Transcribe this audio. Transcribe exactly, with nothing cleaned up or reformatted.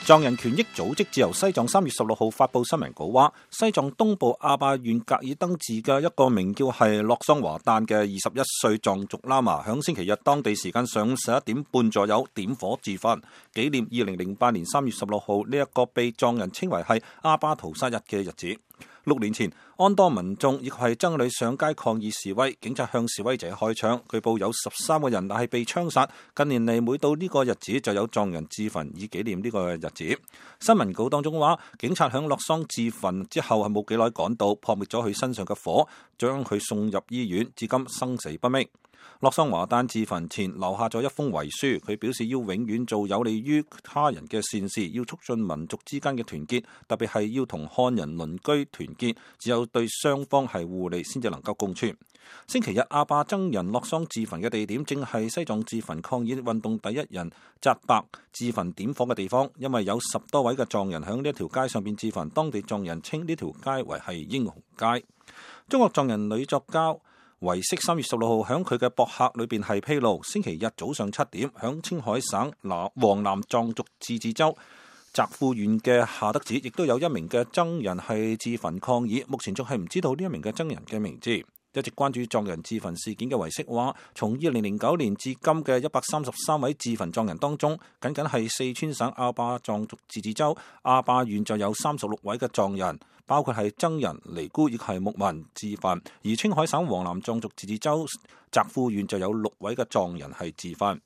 藏人權益組織自由西藏三月十六號發布新聞稿話，西藏東部阿壩縣格爾登治嘅一個名叫係洛桑華誕嘅二十一歲藏族喇嘛，響星期日當地時間上午十一點半左右點火自焚，紀念二零零八年三月十六號呢一個被藏人稱為係阿壩屠殺日嘅日子。六年前，安多民眾以及係僧侶上街抗議示威，警察向示威者開槍，據報有十三個人但係被槍殺。近年嚟每到呢個日子就有藏人自焚以紀念呢個日子。新聞稿當中話，警察響洛桑自焚之後係冇幾耐趕到，撲滅咗佢身上嘅火，將佢送入醫院，至今生死不明。洛桑華誕自焚前留下咗一封遺書，佢表示要永遠做有利於他人嘅善事，要促進民族之間嘅團結，特別係要同漢人鄰居團結，只有對雙方係互利先至能夠共存。星期日，阿壩僧人洛桑自焚嘅地點正係西藏自焚抗議運動第一人扎白自焚點火嘅地方，因為有十多位嘅藏人響呢一條街上邊自焚，當地藏人稱呢條街為係英雄街。中國藏人女作家維色三月十六號響佢嘅博客裏邊係披露，星期日早上七點響青海省南黃南藏族自治州澤富縣嘅夏德寺，亦都有一名嘅僧人係自焚抗議，目前仲係唔知道呢一名嘅僧人嘅名字。一直關注藏人自焚事件嘅維色話，從二零零九年至今嘅一百三十三位自焚藏人當中，僅僅係四川省阿壩藏族自治州阿壩縣就有三十六位嘅藏人，包括係僧人、尼姑亦係牧民自焚，而青海省黃南藏族自治州澤富縣就有六位嘅藏人係自焚。